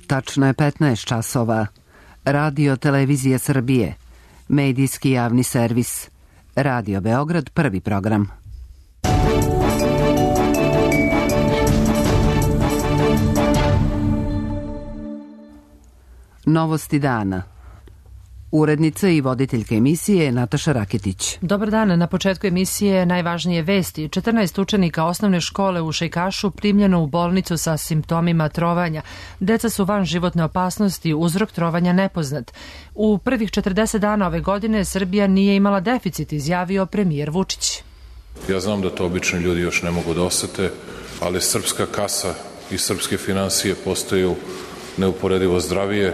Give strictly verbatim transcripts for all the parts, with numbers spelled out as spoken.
Tačno je petnaest časova. Radio Televizija Srbije. Medijski javni servis. Radio Beograd, prvi program. Novosti dana. Urednica i voditeljka emisije Nataša Raketić. Dobar dan, na početku emisije najvažnije vesti. četrnaest učenika osnovne škole u Šejkašu primljeno u bolnicu sa simptomima trovanja. Deca su van životne opasnosti, uzrok trovanja nepoznat. U prvih četrdeset dana ove godine Srbija nije imala deficit, izjavio premijer Vučić. Ja znam da to obični ljudi još ne mogu da osete, ali srpska kasa i srpske finansije postaju neuporedivo zdravije.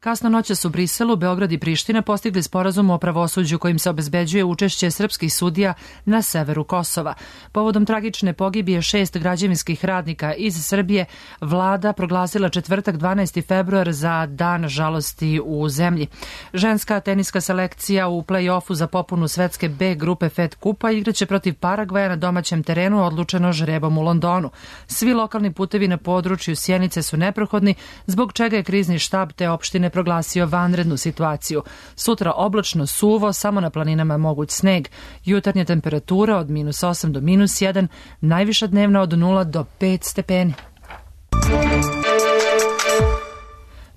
Kasno noćas u Briselu, Beograd i Priština postigli sporazum o pravosuđu kojim se obezbeđuje učešće srpskih sudija na severu Kosova. Povodom tragične pogibije šest građevinskih radnika iz Srbije, vlada proglasila četvrtak dvanaesti februar za dan žalosti u zemlji. Ženska teniska selekcija u play-offu za popunu svetske B grupe Fed Kupa igraće protiv Paragvaja na domaćem terenu, odlučeno žrebom u Londonu. Svi lokalni putevi na području Sjenice su neprohodni, zbog čega je krizni štab te opštine proglasio vanrednu situaciju. Sutra oblačno, suvo, samo na planinama moguć sneg. Jutarnja temperatura od minus osam do minus jedan, najviša dnevna od nula do pet stepeni.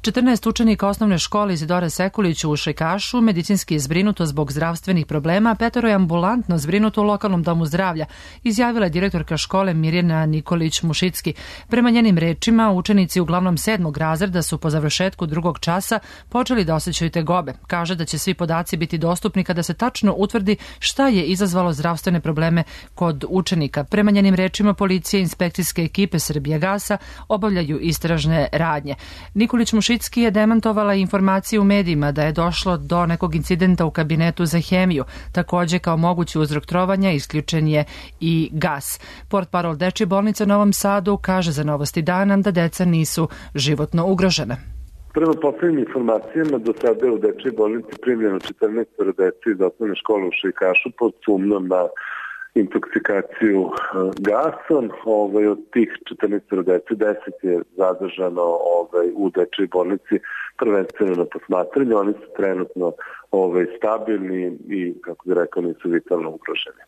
četrnaest učenika osnovne škole Izidora Sekulić u Šejkašu medicinski je zbrinuto zbog zdravstvenih problema, a petoro je ambulantno zbrinuto u lokalnom domu zdravlja, izjavila je direktorka škole Mirjana Nikolić-Mušicki. Prema njenim rečima, učenici uglavnom sedmog razreda su po završetku drugog časa počeli da osjećaju tegobe. Kaže da će svi podaci biti dostupni kada se tačno utvrdi šta je izazvalo zdravstvene probleme kod učenika. Prema njenim rečima, policija i inspekcijske ekipe Srbijagasa obavljaju istražne radnje. Nikolić-Mušicki je demantovala informacije u medijima da je došlo do nekog incidenta u kabinetu za hemiju. Takođe, kao mogući uzrok trovanja isključen je i gas. Portparol Dečije bolnice u Novom Sadu kaže za Novosti dana da deca nisu životno ugrožena. Prema poslednjim informacijama, do sada je u Dečijoj bolnici primljeno četrnaest dece iz osnovne škole u Šejkašu pod sumnjom na intoksikaciju gasom. Ovaj, od tih četrnaest dece, deset je zadržano ovaj, u Dečijoj bolnici prvenstveno na posmatranju. Oni su trenutno ovaj, stabilni i, kako bi rekao, nisu vitalno ugroženi.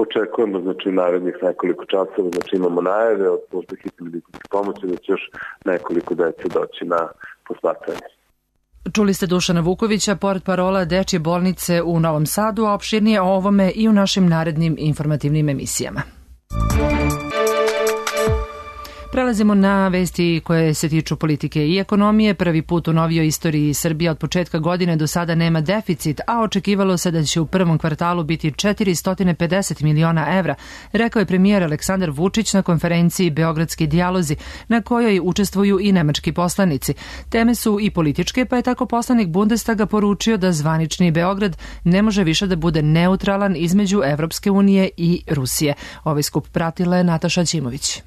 Očekujemo, znači, u narednih nekoliko časova, znači imamo najave od službe hitne medicinske pomoći da će još nekoliko dece doći na posmatranje. Čuli ste Dušana Vukovića, portparola Dečije bolnice u Novom Sadu, a opširnije o ovome i u našim narednim informativnim emisijama. Prelazimo na vesti koje se tiču politike i ekonomije. Prvi put u novijoj istoriji Srbija od početka godine do sada nema deficit, a očekivalo se da će u prvom kvartalu biti četiristo pedeset miliona evra, rekao je premijer Aleksandar Vučić na konferenciji Beogradski dijalozi, na kojoj učestvuju i nemački poslanici. Teme su i političke, pa je tako poslanik Bundestaga poručio da zvanični Beograd ne može više da bude neutralan između Evropske unije i Rusije. Ovaj skup pratila je Nataša Ćimović.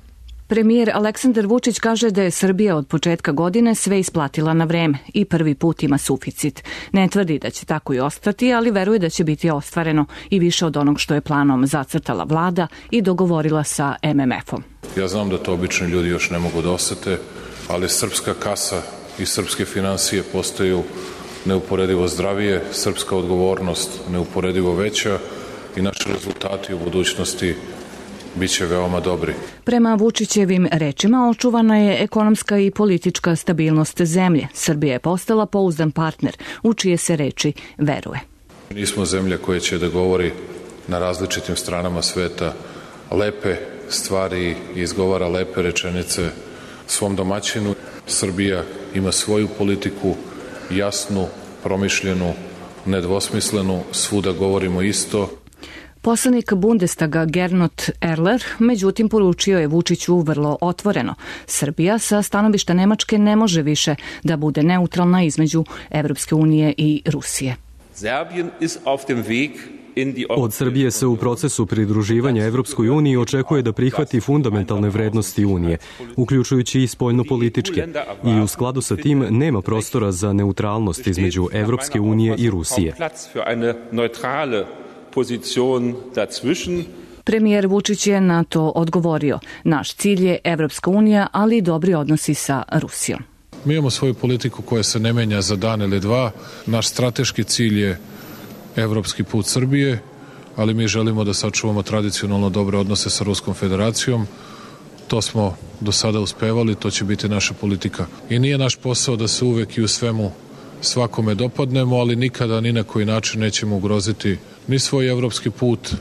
Premijer Aleksandar Vučić kaže da je Srbija od početka godine sve isplatila na vreme i prvi put ima suficit. Ne tvrdi da će tako i ostati, ali veruje da će biti ostvareno i više od onog što je planom zacrtala vlada i dogovorila sa em em efom. Ja znam da to obični ljudi još ne mogu da osete, ali srpska kasa i srpske finansije postaju neuporedivo zdravije, srpska odgovornost neuporedivo veća i naši rezultati u budućnosti biće veoma dobri. Prema Vučićevim rečima očuvana je ekonomska i politička stabilnost zemlje. Srbija je postala pouzdan partner, u čije se reči veruje. Nismo zemlja koja će da govori na različitim stranama sveta lepe stvari i izgovara lepe rečenice svom domaćinu. Srbija ima svoju politiku, jasnu, promišljenu, nedvosmislenu, svuda govorimo isto. Poslanik Bundestaga Gernot Erler, međutim, poručio je Vučiću vrlo otvoreno. Srbija sa stanovišta Nemačke ne može više da bude neutralna između Evropske unije i Rusije. Od Srbije se u procesu pridruživanja Evropskoj uniji očekuje da prihvati fundamentalne vrednosti Unije, uključujući i spoljnopolitičke, i u skladu sa tim nema prostora za neutralnost između Evropske unije i Rusije. Premijer Vučić je na to odgovorio. Naš cilj je Evropska unija, ali i dobri odnosi sa Rusijom. Mi imamo svoju politiku koja se ne menja za dan ili dva. Naš strateški cilj je evropski put Srbije, ali mi želimo da sačuvamo tradicionalno dobre odnose sa Ruskom federacijom. To smo do sada uspevali, to će biti naša politika. I nije naš posao da se uvek i u svemu svakome dopadnemo, ali nikada ni na koji način nećemo ugroziti ni svoj evropski put,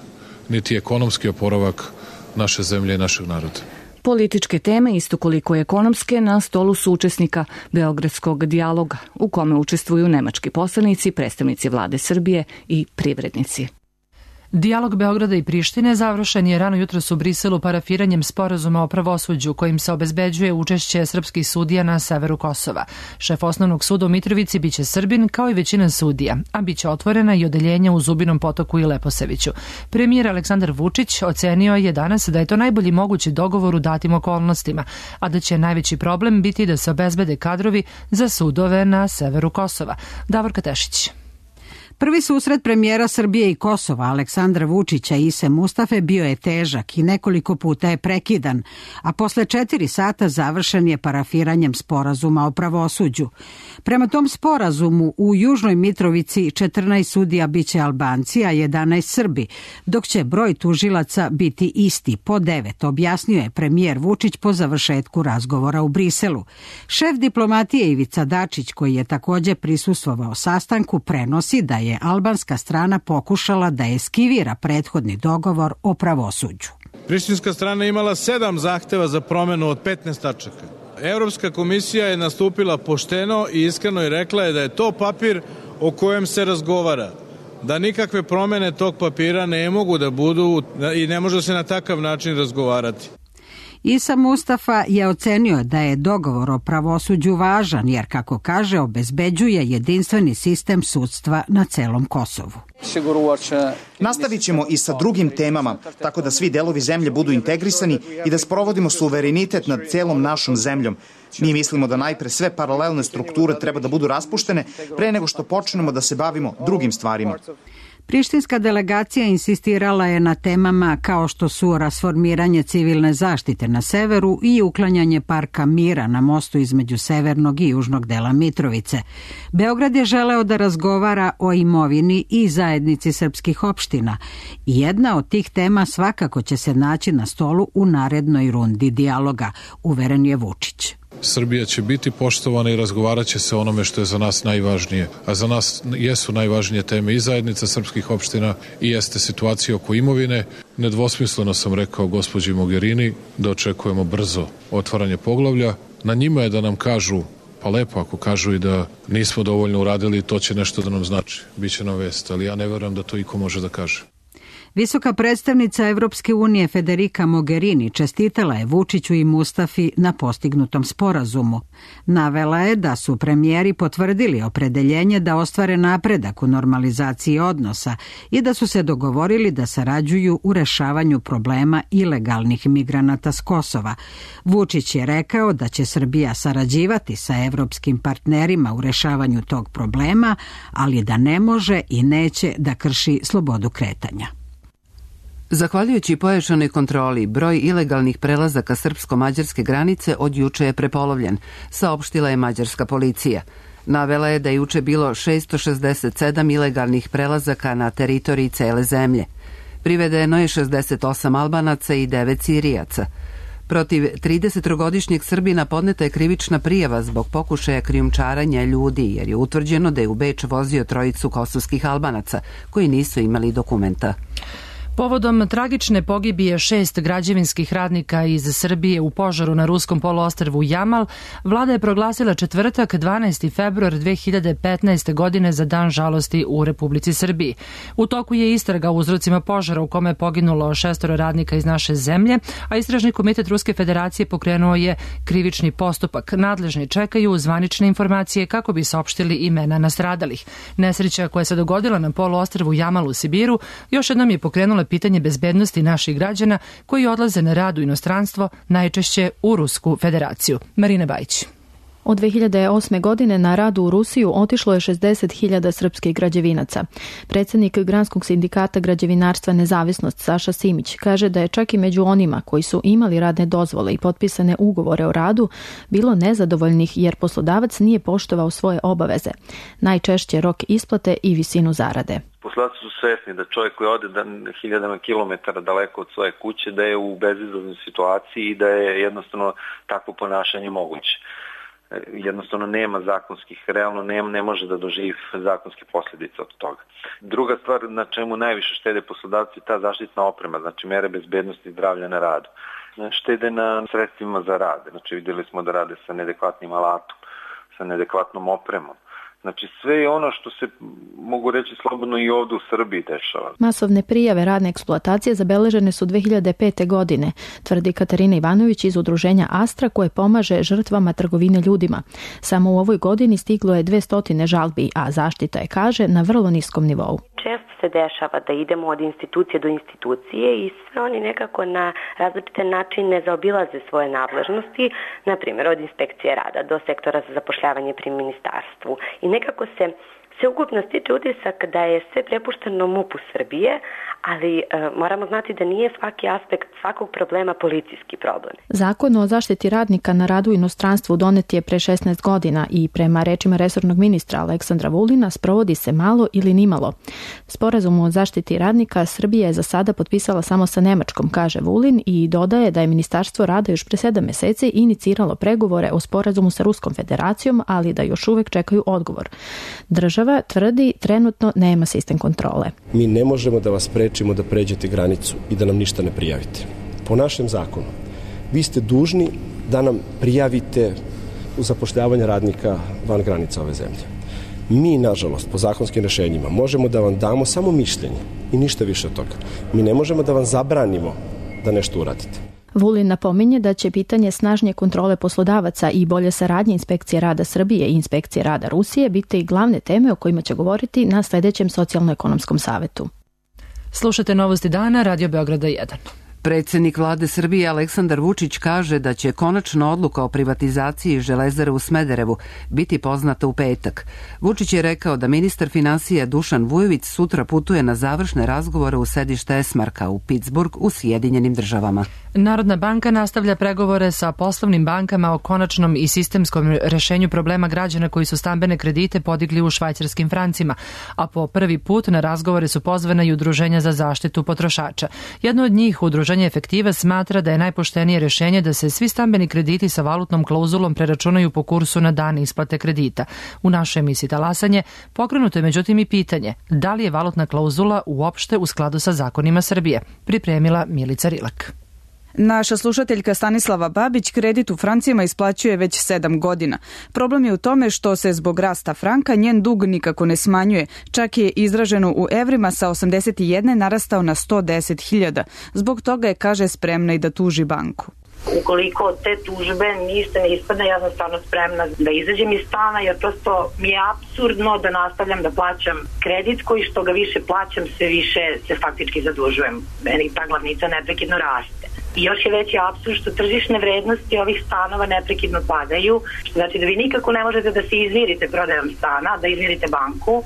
niti ekonomski oporavak naše zemlje i našeg naroda. Političke teme, isto koliko ekonomske, na stolu su učesnika Beogradskog dijaloga, u kome učestvuju nemački poslanici, predstavnici vlade Srbije i privrednici. Dijalog Beograda i Prištine završen je rano jutros u Briselu parafiranjem sporazuma o pravosuđu kojim se obezbeđuje učešće srpskih sudija na severu Kosova. Šef osnovnog suda u Mitrovici biće Srbin kao i većina sudija, a biće otvorena i odeljenja u Zubinom Potoku i Leposaviću. Premijer Aleksandar Vučić ocenio je danas da je to najbolji mogući dogovor u datim okolnostima, a da će najveći problem biti da se obezbede kadrovi za sudove na severu Kosova. Davorka Tešić. Prvi susret premijera Srbije i Kosova, Aleksandra Vučića i Ise Mustafe, bio je težak i nekoliko puta je prekidan, a posle četiri sata završen je parafiranjem sporazuma o pravosuđu. Prema tom sporazumu u Južnoj Mitrovici četrnaest sudija biće Albanci, a jedanaest Srbi, dok će broj tužilaca biti isti, po devet, objasnio je premijer Vučić po završetku razgovora u Briselu. Šef diplomatije Ivica Dačić, koji je takođe prisustvovao sastanku, prenosi da je albanska strana pokušala da eskivira prethodni dogovor o pravosuđu. Prištinska strana je imala sedam zahteva za promenu od petnaest tačaka. Evropska komisija je nastupila pošteno i iskreno i rekla je da je to papir o kojem se razgovara, da nikakve promene tog papira ne mogu da budu i ne može se na takav način razgovarati. Isa Mustafa je ocenio da je dogovor o pravosuđu važan jer, kako kaže, obezbeđuje jedinstveni sistem sudstva na celom Kosovu. Nastavit ćemo i sa drugim temama, tako da svi delovi zemlje budu integrisani i da sprovodimo suverenitet nad celom našom zemljom. Mi mislimo da najpre sve paralelne strukture treba da budu raspuštene pre nego što počnemo da se bavimo drugim stvarima. Prištinska delegacija insistirala je na temama kao što su rasformiranje civilne zaštite na severu i uklanjanje parka mira na mostu između severnog i južnog dela Mitrovice. Beograd je želeo da razgovara o imovini i zajednici srpskih opština. Jedna od tih tema svakako će se naći na stolu u narednoj rundi dijaloga, uveren je Vučić. Srbija će biti poštovana i razgovarat će se o onome što je za nas najvažnije. A za nas jesu najvažnije teme i zajednica srpskih opština i jeste situacija oko imovine. Nedvosmisleno sam rekao gospođi Mogherini da očekujemo brzo otvaranje poglavlja. Na njima je da nam kažu, pa lepo ako kažu i da nismo dovoljno uradili, to će nešto da nam znači. Biće nam vest, ali ja ne verujem da to iko može da kaže. Visoka predstavnica Evropske unije Federica Mogherini čestitala je Vučiću i Mustafi na postignutom sporazumu. Navela je da su premijeri potvrdili opredeljenje da ostvare napredak u normalizaciji odnosa i da su se dogovorili da sarađuju u rešavanju problema ilegalnih migranata s Kosova. Vučić je rekao da će Srbija sarađivati sa evropskim partnerima u rešavanju tog problema, ali da ne može i neće da krši slobodu kretanja. Zahvaljujući pojačanoj kontroli, broj ilegalnih prelazaka srpsko-mađarske granice od juče je prepolovljen, saopštila je mađarska policija. Navela je da je juče bilo šesto šezdeset sedam ilegalnih prelazaka na teritoriji cele zemlje. Privedeno je šezdeset osam Albanaca i devet Sirijaca. Protiv tridesettrogodišnjeg Srbina podneta je krivična prijava zbog pokušaja krijumčarenja ljudi, jer je utvrđeno da je u Beč vozio trojicu kosovskih Albanaca, koji nisu imali dokumenta. Povodom tragične pogibije šest građevinskih radnika iz Srbije u požaru na ruskom poluostrvu Jamal, vlada je proglasila četvrtak dvanaesti februar dve hiljade petnaeste. godine za dan žalosti u Republici Srbiji. U toku je istraga o uzrocima požara u kome je poginulo šestoro radnika iz naše zemlje, a Istražni komitet Ruske federacije pokrenuo je krivični postupak. Nadležni čekaju zvanične informacije kako bi saopštili imena nastradalih. Nesreća koja se dogodila na poluostrvu Jamal u Sibiru još jednom je pokrenula pitanje bezbednosti naših građana koji odlaze na rad u inostranstvo, najčešće u Rusku federaciju. Marina Bajić. Od dve hiljade osme. godine na rad u Rusiju otišlo je šezdeset hiljada srpskih građevinaca. Predsjednik Granskog sindikata građevinarstva Nezavisnost Saša Simić kaže da je čak i među onima koji su imali radne dozvole i potpisane ugovore o radu bilo nezadovoljnih jer poslodavac nije poštovao svoje obaveze. Najčešće rok isplate i visinu zarade. Poslodavci su svesni da čovjek koji ode hiljadama kilometara daleko od svoje kuće da je u bezizlaznoj situaciji i da je jednostavno takvo ponašanje moguće. Jednostavno nema zakonskih, realno ne, ne može da doživi zakonske posljedice od toga. Druga stvar na čemu najviše štede poslodavci je ta zaštitna oprema, znači mere bezbednosti i zdravlja na radu. Štede na sredstvima za rad, znači vidjeli smo da rade sa neadekvatnim alatom, sa neadekvatnom opremom. Znači sve ono što se, mogu reći slobodno, i ovdje u Srbiji dešava. Masovne prijave radne eksploatacije zabeležene su dve hiljade pete. godine, tvrdi Katarina Ivanović iz udruženja Astra koje pomaže žrtvama trgovine ljudima. Samo u ovoj godini stiglo je dvesta žalbi, a zaštita je, kaže, na vrlo niskom nivou. Često se dešava da idemo od institucije do institucije i sve oni nekako na različite načine zaobilaze svoje nadležnosti, na primjer od inspekcije rada do sektora za zapošljavanje pri ministarstvu. I nekako se sveukupno stiče utisak da je sve prepušteno MUP-u Srbije, ali e, moramo znati da nije svaki aspekt svakog problema policijski problem. Zakon o zaštiti radnika na radu u inostranstvu donet je pre šesnaest godina i prema rečima resornog ministra Aleksandra Vulina sprovodi se malo ili nimalo. Sporazum o zaštiti radnika Srbija je za sada potpisala samo sa Nemačkom, kaže Vulin, i dodaje da je Ministarstvo rada još pre sedam meseci iniciralo pregovore o sporazumu sa Ruskom federacijom, ali da još uvek čekaju odgovor. Država tvrdi trenutno nema sistem kontrole. Mi ne možemo da vas sprečimo da pređete granicu i da nam ništa ne prijavite. Po našem zakonu, vi ste dužni da nam prijavite zapošljavanje radnika van granica ove zemlje. Mi, nažalost, po zakonskim rešenjima možemo da vam damo samo mišljenje i ništa više od toga. Mi ne možemo da vam zabranimo da nešto uradite. Vulin napominje da će pitanje snažnije kontrole poslodavaca i bolje saradnje Inspekcije rada Srbije i Inspekcije rada Rusije biti glavne teme o kojima će govoriti na sljedećem socijalno-ekonomskom savetu. Slušate Novosti dana, Radio Beograda jedan. Predsjednik vlade Srbije Aleksandar Vučić kaže da će konačna odluka o privatizaciji Železare u Smederevu biti poznata u petak. Vučić je rekao da ministar finansija Dušan Vujović sutra putuje na završne razgovore u sedište Esmarka u Pittsburgh u Sjedinjenim državama. Narodna banka nastavlja pregovore sa poslovnim bankama o konačnom i sistemskom rešenju problema građana koji su stambene kredite podigli u švajcarskim francima, a po prvi put na razgovore su pozvana i udruženja za zaštitu potrošača. Jedno od njih, udruženje Efektiva, smatra da je najpoštenije rešenje da se svi stambeni krediti sa valutnom klauzulom preračunaju po kursu na dan isplate kredita. U našoj emisiji Talasanje pokrenuto je međutim i pitanje da li je valutna klauzula uopšte u skladu sa zakonima Srbije. Pripremila Milica Rilak. Naša slušateljka Stanislava Babić kredit u francima isplaćuje već sedam godina. Problem je u tome što se zbog rasta franka njen dug nikako ne smanjuje. Čak je izraženo u evrima sa osamdeset jedan narastao na sto deset hiljada. Zbog toga je, kaže, spremna i da tuži banku. Ukoliko od te tužbe ništa ne ispadne, ja sam stvarno spremna da izađem iz stana, jer prosto mi je apsurdno da nastavljam da plaćam kredit koji što ga više plaćam, sve više se faktički zadužujem. Meni ta glavnica neprekidno raste. I još je veći apsurd što tržišne vrednosti ovih stanova neprekidno padaju, što znači da vi nikako ne možete da se izmirite prodajom stana, da izmirite banku.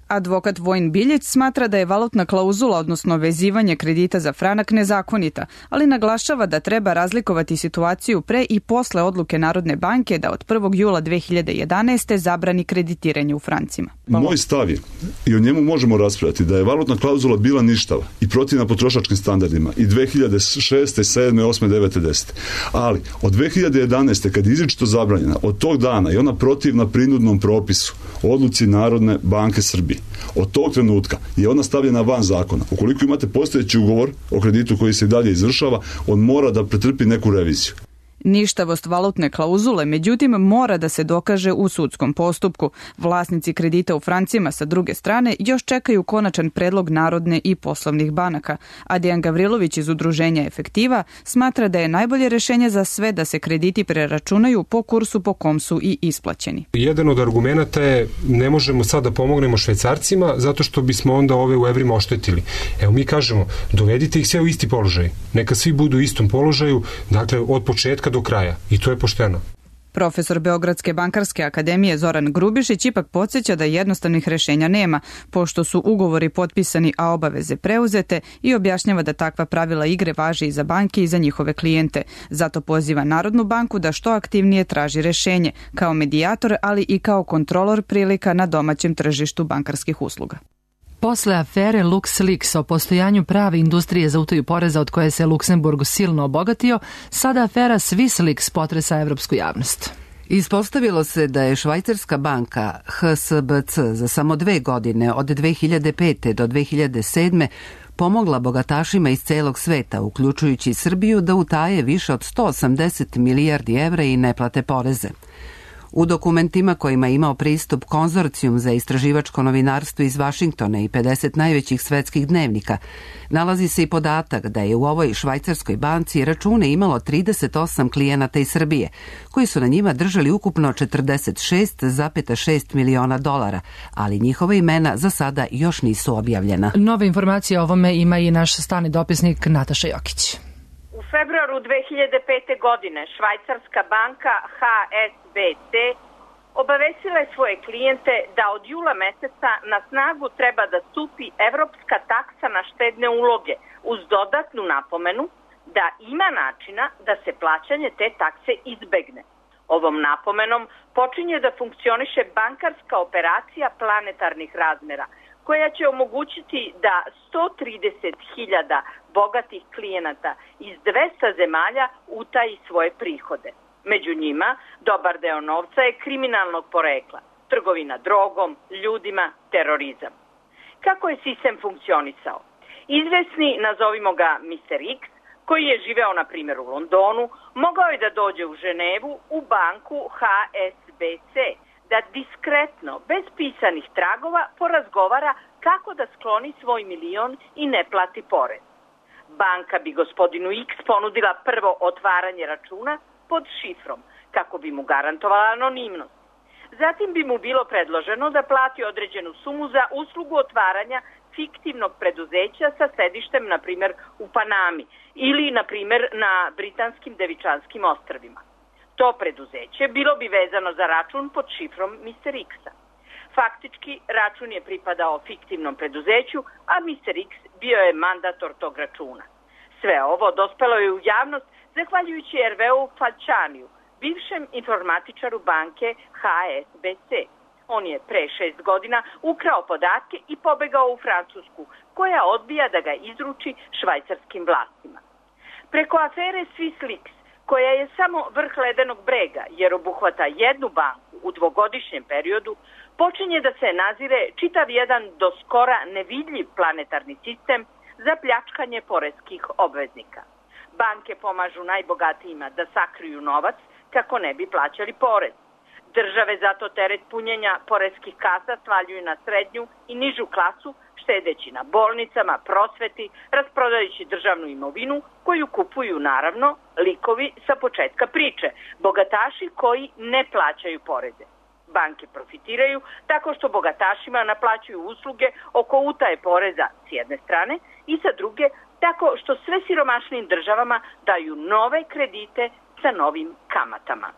Advokat Vojin Biljeć smatra da je valutna klauzula, odnosno vezivanje kredita za franak, nezakonita, ali naglašava da treba razlikovati situaciju pre i posle odluke Narodne banke da od prvog jula dve hiljade jedanaeste. zabrani kreditiranje u francima. Moj stav je, i o njemu možemo raspravljati, da je valutna klauzula bila ništava i protivna potrošačkim standardima i dve hiljade šeste, sedme, osme, devete, desete. Ali od dve hiljade jedanaeste. kad je izričito zabranjena, od tog dana i ona protivna prinudnom propisu, odluci Narodne banke Srbije, od tog trenutka je ona stavljena van zakona. Ukoliko imate postojeći ugovor o kreditu koji se i dalje izvršava, on mora da pretrpi neku reviziju. Ništavost valutne klauzule, međutim, mora da se dokaže u sudskom postupku. Vlasnici kredita u francima sa druge strane još čekaju konačan predlog Narodne i poslovnih banaka, a Dejan Gavrilović iz udruženja Efektiva smatra da je najbolje rešenje za sve da se krediti preračunaju po kursu po kom su i isplaćeni. Jedan od argumenata je ne možemo sad da pomognemo Švajcarcima zato što bismo onda ove u evrima oštetili. Evo mi kažemo, dovedite ih sve u isti položaj. Neka svi budu u istom položaju, dakle od početka do kraja, i to je pošteno. Profesor Beogradske bankarske akademije Zoran Grubišić ipak podsjeća da jednostavnih rešenja nema, pošto su ugovori potpisani, a obaveze preuzete, i objašnjava da takva pravila igre važe i za banke i za njihove klijente. Zato poziva Narodnu banku da što aktivnije traži rešenje, kao medijator, ali i kao kontrolor prilika na domaćem tržištu bankarskih usluga. Posle afere LuxLeaks o postojanju prave industrije za utaju poreza od koje se Luksemburg silno obogatio, sada afera SwissLeaks potresa evropsku javnost. Ispostavilo se da je švajcarska banka H S B C za samo dve godine od dve hiljade pete do dve hiljade sedme pomogla bogatašima iz celog sveta, uključujući Srbiju, da utaje više od sto osamdeset milijardi evra i ne plate poreze. U dokumentima kojima je imao pristup Konzorcijum za istraživačko novinarstvo iz Vašingtona i pedeset najvećih svetskih dnevnika, nalazi se i podatak da je u ovoj švajcarskoj banci račune imalo trideset osam klijenata iz Srbije, koji su na njima držali ukupno četrdeset šest zarez šest miliona dolara, ali njihova imena za sada još nisu objavljena. Nove informacije o ovome ima i naš stalni dopisnik Nataša Jokić. U februaru dve hiljade pete. godine švajcarska banka H S B C obavestila je svoje klijente da od jula meseca na snagu treba da stupi evropska taksa na štedne uloge uz dodatnu napomenu da ima načina da se plaćanje te takse izbegne. Ovom napomenom počinje da funkcioniše bankarska operacija planetarnih razmera, koja će omogućiti da sto trideset hiljada bogatih klijenata iz dvesta zemalja utaji svoje prihode. Među njima, dobar deo novca je kriminalnog porekla, trgovina drogom, ljudima, terorizam. Kako je sistem funkcionisao? Izvesni, nazovimo ga mister X, koji je živeo na primjer u Londonu, mogao je da dođe u Ženevu u banku H S B C, da diskretno, bez pisanih tragova, porazgovara kako da skloni svoj milion i ne plati porez. Banka bi gospodinu X ponudila prvo otvaranje računa pod šifrom, kako bi mu garantovala anonimnost. Zatim bi mu bilo predloženo da plati određenu sumu za uslugu otvaranja fiktivnog preduzeća sa sedištem, na primjer, u Panami ili, na primjer, na Britanskim Devičanskim ostrvima. To preduzeće bilo bi vezano za račun pod šifrom mister X-a. Faktički, račun je pripadao fiktivnom preduzeću, a mister X bio je mandator tog računa. Sve ovo dospelo je u javnost zahvaljujući Erveu Falčaniju, bivšem informatičaru banke H S B C. On je pre šest godina ukrao podatke i pobegao u Francusku, koja odbija da ga izruči švajcarskim vlastima. Preko afere SwissLeaks, koja je samo vrh ledenog brega jer obuhvata jednu banku u dvogodišnjem periodu, počinje da se nazire čitav jedan do skora nevidljiv planetarni sistem za pljačkanje poreskih obveznika. Banke pomažu najbogatijima da sakriju novac kako ne bi plaćali porez. Države zato teret punjenja poreskih kasa svaljuju na srednju i nižu klasu, štedeći na bolnicama, prosveti, rasprodajući državnu imovinu koju kupuju naravno likovi sa početka priče, bogataši koji ne plaćaju poreze. Banke profitiraju tako što bogatašima naplaćuju usluge oko utaje poreza s jedne strane i sa druge tako što sve siromašnim državama daju nove kredite sa novim kamatama.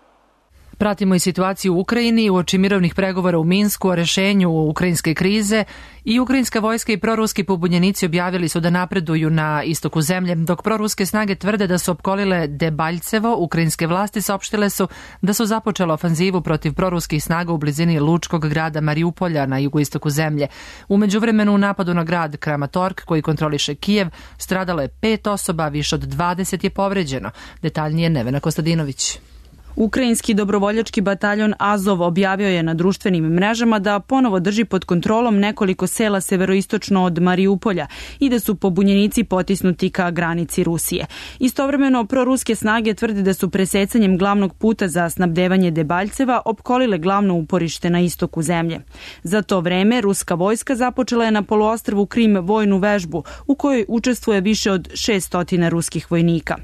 Pratimo i situaciju u Ukrajini uoči mirovnih pregovora u Minsku o rešenju ukrajinske krize i ukrajinska vojska i proruski pobunjenici objavili su da napreduju na istoku zemlje, dok proruske snage tvrde da su opkolile Debaljcevo. Ukrajinske vlasti saopštile su da su započele ofanzivu protiv proruskih snaga u blizini lučkog grada Mariupolja na jugoistoku zemlje. U međuvremenu u napadu na grad Kramatorsk, koji kontroliše Kijev, stradalo je pet osoba, više od dvadeset je povređeno. Detaljnije Nevena Kostadinović. Ukrajinski dobrovoljački bataljon Azov objavio je na društvenim mrežama da ponovo drži pod kontrolom nekoliko sela severoistočno od Mariupolja i da su pobunjenici potisnuti ka granici Rusije. Istovremeno, proruske snage tvrde da su presecanjem glavnog puta za snabdevanje Debaljceva opkolile glavno uporište na istoku zemlje. Za to vreme, ruska vojska započela je na poluostrvu Krim vojnu vežbu u kojoj učestvuje više od šest stotina ruskih vojnika.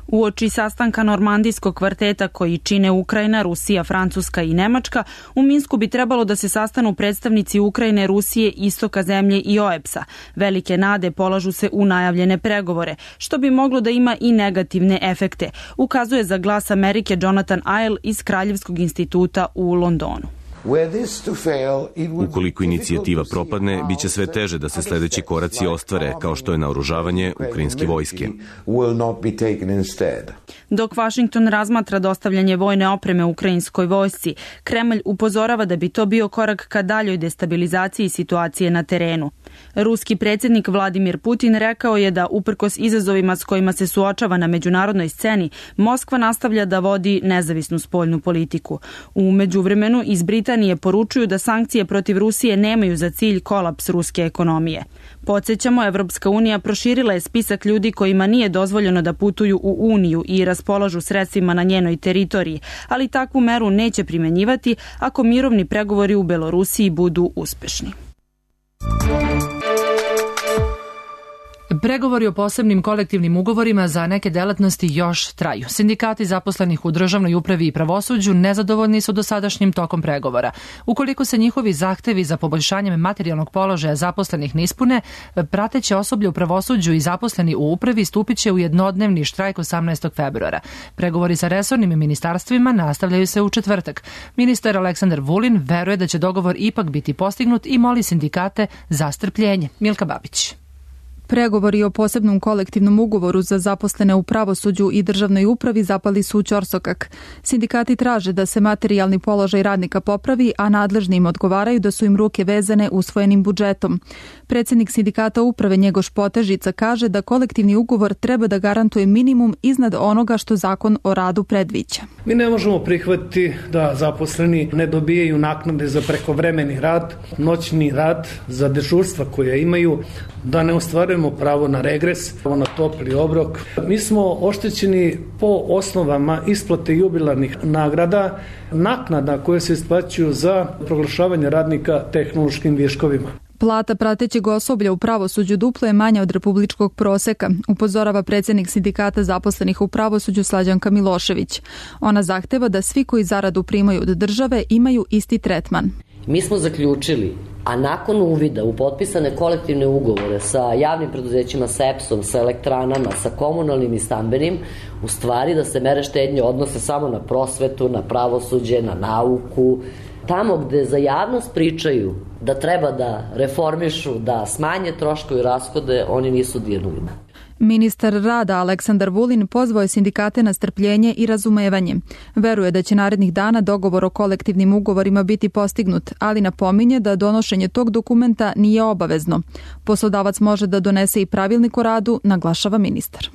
Uoči sastanka normandijskog kvarteta koji čine Ukrajina, Rusija, Francuska i Nemačka, u Minsku bi trebalo da se sastanu predstavnici Ukrajine, Rusije, istoka zemlje i O E B S-a. Velike nade polažu se u najavljene pregovore, što bi moglo da ima i negativne efekte, ukazuje za Glas Amerike Jonathan Isle iz Kraljevskog instituta u Londonu. Ukoliko inicijativa propadne, bit će sve teže da se sledeći koraci ostvare, kao što je naoružavanje ukrajinske vojske. Dok Vašington razmatra dostavljanje vojne opreme ukrajinskoj vojsci, Kremlj upozorava da bi to bio korak ka daljoj destabilizaciji situacije na terenu. Ruski predsjednik Vladimir Putin rekao je da, uprkos izazovima s kojima se suočava na međunarodnoj sceni, Moskva nastavlja da vodi nezavisnu spoljnu politiku. U međuvremenu iz Britanije poručuju da sankcije protiv Rusije nemaju za cilj kolaps ruske ekonomije. Podsjećamo, Evropska unija proširila je spisak ljudi kojima nije dozvoljeno da putuju u Uniju i raspolažu sredstvima na njenoj teritoriji, ali takvu meru neće primenjivati ako mirovni pregovori u Belorusiji budu uspešni. Pregovori o posebnim kolektivnim ugovorima za neke delatnosti još traju. Sindikati zaposlenih u državnoj upravi i pravosuđu nezadovoljni su dosadašnjim tokom pregovora. Ukoliko se njihovi zahtevi za poboljšanjem materijalnog položaja zaposlenih ne ispune, prateće osoblje u pravosuđu i zaposleni u upravi stupit će u jednodnevni štrajk osamnaestog februara. Pregovori sa resornim ministarstvima nastavljaju se u četvrtak. Ministar Aleksandar Vulin veruje da će dogovor ipak biti postignut i moli sindikate za strpljenje. Milka Babić. Pregovori o posebnom kolektivnom ugovoru za zaposlene u pravosuđu i državnoj upravi zapali su u ćorsokak. Sindikati traže da se materijalni položaj radnika popravi, a nadležni im odgovaraju da su im ruke vezane usvojenim budžetom. Predsjednik sindikata uprave Njegoš Potežica kaže da kolektivni ugovor treba da garantuje minimum iznad onoga što zakon o radu predviđa. Mi ne možemo prihvatiti da zaposleni ne dobijaju naknade za prekovremeni rad, noćni rad, za dežurstva koje imaju, da ne ostvarujemo pravo na regres, pravo na topli obrok. Mi smo oštećeni po osnovama isplate jubilarnih nagrada, naknada koje se isplaćuju za proglašavanje radnika tehnološkim viškovima. Plata pratećeg osoblja u pravosuđu duplo je manja od republičkog proseka, upozorava predsjednik sindikata zaposlenih u pravosuđu Slađanka Milošević. Ona zahteva da svi koji zaradu primaju od države imaju isti tretman. Mi smo zaključili, a nakon uvida u potpisane kolektivne ugovore sa javnim preduzećima, sa E P S-om, sa elektranama, sa komunalnim i stambenim, u stvari da se mere štednje odnose samo na prosvetu, na pravosuđe, na nauku. Tamo gde za javnost pričaju da treba da reformišu, da smanje troškove i rashode, oni nisu dirnuli. Ministar rada Aleksandar Vulin pozvao je sindikate na strpljenje i razumevanje. Veruje da će narednih dana dogovor o kolektivnim ugovorima biti postignut, ali napominje da donošenje tog dokumenta nije obavezno. Poslodavac može da donese i pravilnik o radu, naglašava ministar.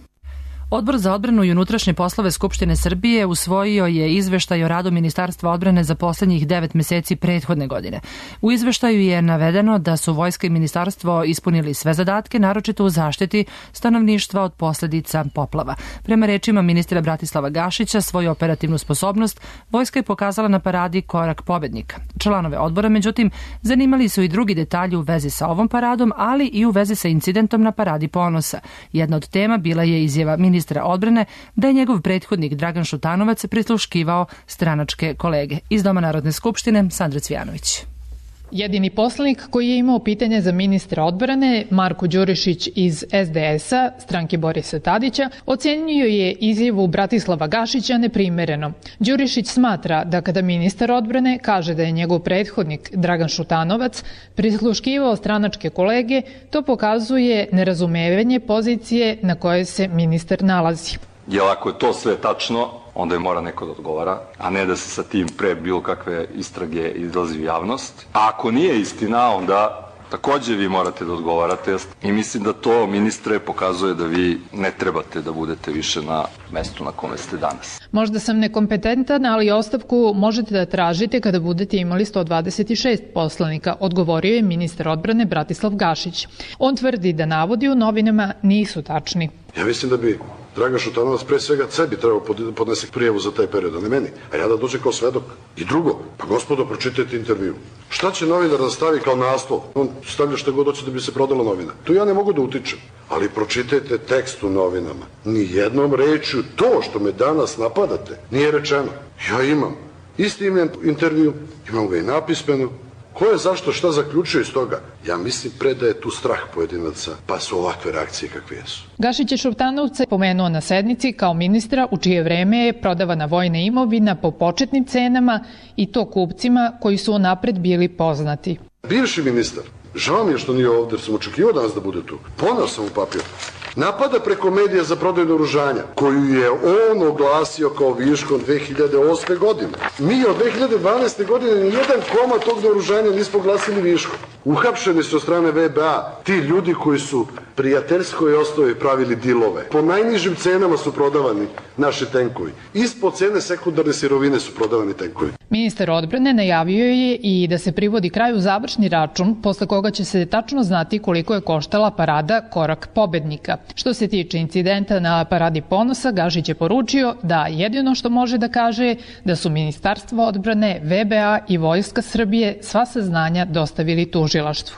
Odbor za odbranu i unutrašnje poslove Skupštine Srbije usvojio je izveštaj o radu Ministarstva odbrane za poslednjih devet meseci prethodne godine. U izveštaju je navedeno da su vojska i ministarstvo ispunili sve zadatke, naročito u zaštiti stanovništva od posledica poplava. Prema rečima ministra Bratislava Gašića, svoju operativnu sposobnost vojska je pokazala na paradi Korak pobednika. Članove odbora, međutim, zanimali su i drugi detalji u vezi sa ovom paradom, ali i u vezi sa incidentom na paradi Ponosa. Jedna od tema bila je izjava ministra ministra odbrane da je njegov prethodnik Dragan Šutanovac prisluškivao stranačke kolege. Iz Doma Narodne skupštine, Sandra Cvijanović. Jedini poslanik koji je imao pitanje za ministra odbrane, Marko Đurišić iz S D S-a, stranke Borisa Tadića, ocenio je izjavu Bratislava Gašića neprimereno. Đurišić smatra da kada ministar odbrane kaže da je njegov prethodnik Dragan Šutanovac prisluškivao stranačke kolege, to pokazuje nerazumevanje pozicije na kojoj se ministar nalazi. Jer ako je to sve tačno, onda je mora neko da odgovara, a ne da se sa tim pre bilo kakve istrage izlazi u javnost. A ako nije istina, onda takođe vi morate da odgovarate. I mislim da to, ministre, pokazuje da vi ne trebate da budete više na mestu na kome ste danas. Možda sam nekompetentan, ali ostavku možete da tražite kada budete imali sto dvadeset šest poslanika, odgovorio je ministar odbrane Bratislav Gašić. On tvrdi da navodi u novinama nisu tačni. Ja mislim da bi Dragan Šutanovac pre svega sebi trebao podnese prijavu za taj period, a ne meni. A ja da dođe kao svedok. I drugo, pa gospodo, pročitajte intervju. Šta će novinar da stavi kao naslov? On stavlja šta god hoće da bi se prodala novina. Tu ja ne mogu da utičem. Ali pročitajte tekst u novinama. Nijednom rečju to što me danas napadate nije rečeno. Ja imam isti imam intervju, imam ga i napismeno. Ko je zašto šta zaključio iz toga? Ja mislim pre da je tu strah pojedinaca, pa su ovakve reakcije kakve jesu. Gašić je Šutanovca pomenuo na sednici kao ministra u čije vreme je prodavana vojna imovina po početnim cenama i to kupcima koji su unapred bili poznati. Bivši ministar, žao mi je što nije ovdje, jer sam očekivao danas da bude tu. Poneo sam u papir. Napada preko medija za prodaju naoružanja, koju je on oglasio kao viškom dve hiljade osme. godine. Mi od dve hiljade dvanaeste. godine nijedan komad tog naoružanja nismo oglasili viškom. Uhapšeni su od strane V B A ti ljudi koji su prijateljskoj osnovi pravili dilove. Po najnižim cenama su prodavani naši tenkovi. Ispod cene sekundarne sirovine su prodavani tenkovi. Ministar odbrane najavio je i da se privodi kraju završni račun, posle koga će se tačno znati koliko je koštala parada Korak pobednika. Što se tiče incidenta na Paradi ponosa, Gašić je poručio da jedino što može da kaže je da su Ministarstvo odbrane, V B A i Vojska Srbije sva saznanja dostavili tužilaštvu.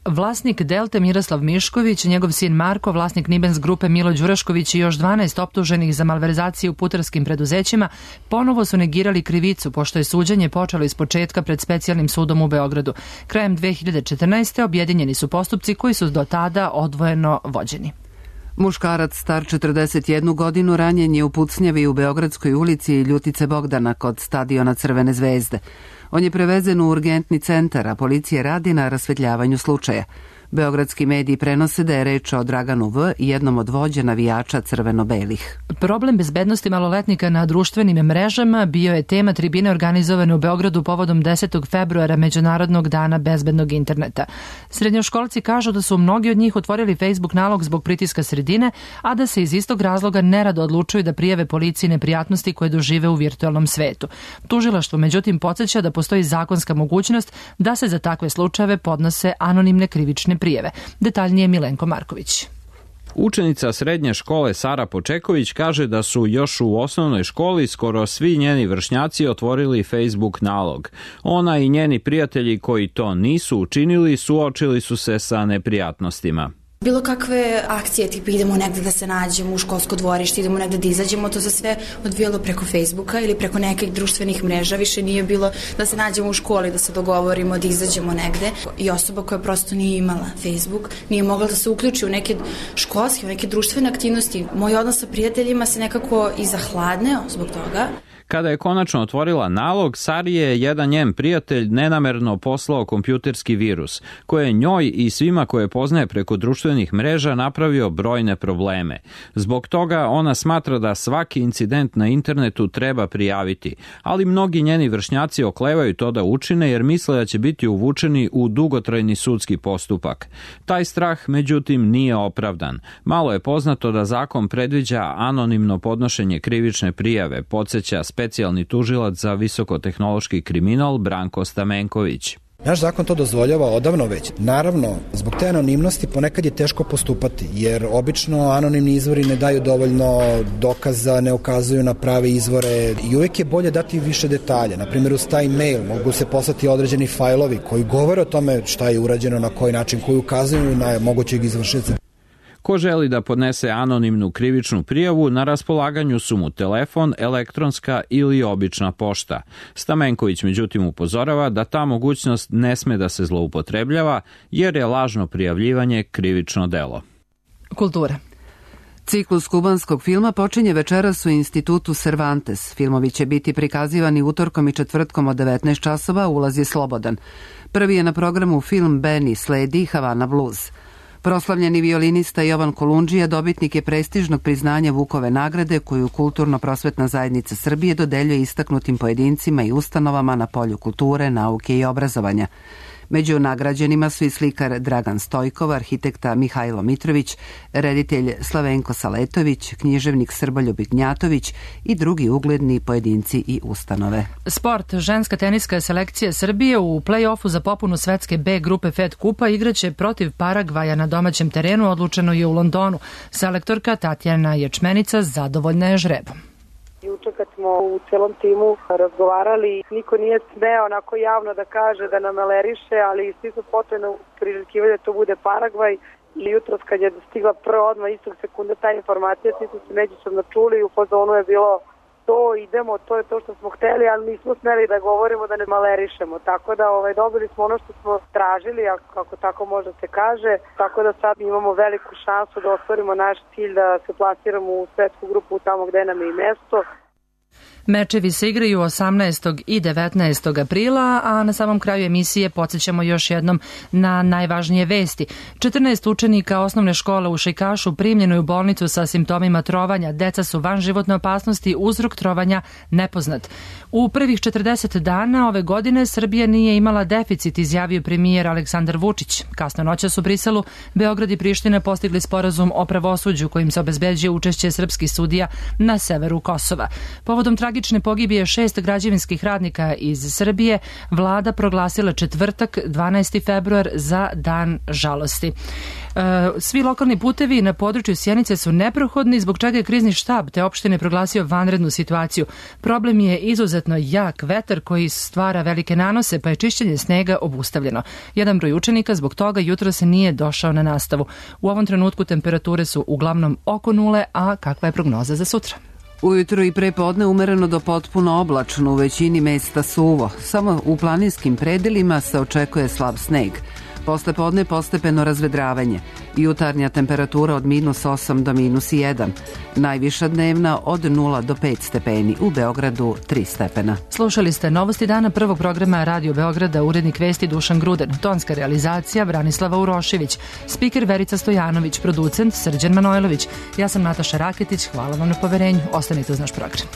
Vlasnik Delte Miroslav Mišković, njegov sin Marko, vlasnik Nibens grupe Milo Đurašković i još dvanaest optuženih za malverzaciju u putarskim preduzećima ponovo su negirali krivicu, pošto je suđenje počelo iz početka pred specijalnim sudom u Beogradu. Krajem dve hiljade četrnaeste. objedinjeni su postupci koji su do tada odvojeno vođeni. Muškarac star četrdeset jednu godinu ranjen je u pucnjavi u Beogradskoj ulici Ljutice Bogdana kod stadiona Crvene zvezde. On je prevezen u urgentni centar, a policija radi na rasvetljavanju slučaja. Beogradski mediji prenose da je reč o Draganu V, jednom od vođa navijača crveno-belih. Problem bezbednosti maloletnika na društvenim mrežama bio je tema tribine organizovane u Beogradu povodom desetog februara Međunarodnog dana bezbednog interneta. Srednjoškolci kažu da su mnogi od njih otvorili Facebook nalog zbog pritiska sredine, a da se iz istog razloga nerado odlučuju da prijave policiji neprijatnosti koje dožive u virtualnom svetu. Tužilaštvo međutim podsjeća da postoji zakonska mogućnost da se za takve slučajeve podnose anonimne krivične prijeve. Detaljnije Milenko Marković. Učenica srednje škole Sara Počeković kaže da su još u osnovnoj školi skoro svi njeni vršnjaci otvorili Facebook nalog. Ona i njeni prijatelji koji to nisu učinili suočili su se sa neprijatnostima. Bilo kakve akcije, tipa idemo negde da se nađemo u školsko dvorište, idemo negde da izađemo, to se sve odvijalo preko Facebooka ili preko nekih društvenih mreža, više nije bilo da se nađemo u školi, da se dogovorimo, da izađemo negde. I osoba koja prosto nije imala Facebook, nije mogla da se uključi u neke školske, u neke društvene aktivnosti. Moj odnos sa prijateljima se nekako i zahladneo zbog toga. Kada je konačno otvorila nalog, Sari je jedan njen prijatelj nenamerno poslao kompjuterski virus, koji je njoj i svima koje poznaje preko društvenih mreža napravio brojne probleme. Zbog toga ona smatra da svaki incident na internetu treba prijaviti, ali mnogi njeni vršnjaci oklevaju to da učine jer misle da će biti uvučeni u dugotrajni sudski postupak. Taj strah, međutim, nije opravdan. Malo je poznato da zakon predviđa anonimno podnošenje krivične prijave, podsjeća specijalni tužilac za visokotehnološki kriminal Branko Stamenković. Naš zakon to dozvoljava odavno već. Naravno, zbog te anonimnosti ponekad je teško postupati, jer obično anonimni izvori ne daju dovoljno dokaza, ne ukazuju na prave izvore i uvijek je bolje dati više detalja. Naprimjer, uz taj mail mogu se poslati određeni fajlovi koji govore o tome šta je urađeno, na koji način, koji ukazuju na mogućeg izvršioca. Ko želi da podnese anonimnu krivičnu prijavu, na raspolaganju su mu telefon, elektronska ili obična pošta. Stamenković međutim upozorava da ta mogućnost ne sme da se zloupotrebljava jer je lažno prijavljivanje krivično delo. Kultura. Ciklus kubanskog filma počinje večeras u Institutu Cervantes. Filmovi će biti prikazivani utorkom i četvrtkom od devetnaest časova, ulaz je slobodan. Prvi je na programu film Benny, sledi Havana Blues. Proslavljeni violinista Jovan Kolundžija dobitnik je prestižnog priznanja Vukove nagrade koju Kulturno-prosvetna zajednica Srbije dodeljuje istaknutim pojedincima i ustanovama na polju kulture, nauke i obrazovanja. Među nagrađenima su i slikar Dragan Stojkov, arhitekta Mihajlo Mitrović, reditelj Slavenko Saletović, književnik Srboljub Ignjatović i drugi ugledni pojedinci i ustanove. Sport. Ženska teniska selekcija Srbije u play-offu za popunu svetske B grupe Fed kupa igraće protiv Paragvaja na domaćem terenu, odlučeno je u Londonu. Selektorka Tatjana Ječmenica zadovoljna je žrebom. Juče kad smo u celom timu razgovarali, niko nije smeo onako javno da kaže da nam aleriše, ali svi su potrebno priželjkivali da to bude Paragvaj. I jutros kad je stigla prva odmah istog sekunde ta informacija, svi su se međusobno čuli i u fazonu je bilo to, idemo, to je to što smo hteli, ali nismo smeli da govorimo da ne malerišemo. Tako da ovaj, dobili smo ono što smo tražili, ako tako može se kaže, tako da sad imamo veliku šansu da ostvarimo naš cilj da se plasiramo u svetsku grupu tamo gde nam je i mesto. Mečevi se igraju osamnaestog i devetnaestog aprila, a na samom kraju emisije podsjećamo još jednom na najvažnije vesti. četrnaest učenika osnovne škole u Šejkašu primljeno je u bolnicu sa simptomima trovanja. Deca su van životne opasnosti, uzrok trovanja nepoznat. U prvih četrdeset dana ove godine Srbija nije imala deficit, izjavio premijer Aleksandar Vučić. Kasno noćas u Briselu Beograd i Priština postigli sporazum o pravosuđu kojim se obezbeđuje učešće srpskih sudija na severu Kosova. Povodom tragične pogibije šest građevinskih radnika iz Srbije, vlada proglasila četvrtak, dvanaesti februar, za dan žalosti. Svi lokalni putevi na području Sjenice su neprohodni, zbog čega je krizni štab te opštine proglasio vanrednu situaciju. Problem je izuzetno jak vetar koji stvara velike nanose, pa je čišćenje snega obustavljeno. Jedan broj učenika zbog toga jutro se nije došao na nastavu. U ovom trenutku temperature su uglavnom oko nule, a kakva je prognoza za sutra? Ujutro i pre podne umereno do potpuno oblačno, u većini mesta suvo. Samo u planinskim predelima se očekuje slab sneg. Posle podne postepeno razvedravanje. Jutarnja temperatura od minus osam do minus jedan. Najviša dnevna od nula do pet stepeni. U Beogradu tri stepena. Slušali ste novosti dana prvog programa Radio Beograda, urednik vesti Dušan Gruden, tonska realizacija Branislava Urošević, spiker Verica Stojanović, producent Srđan Manojlović. Ja sam Nataša Raketić, hvala vam na poverenju. Ostanite uz naš program.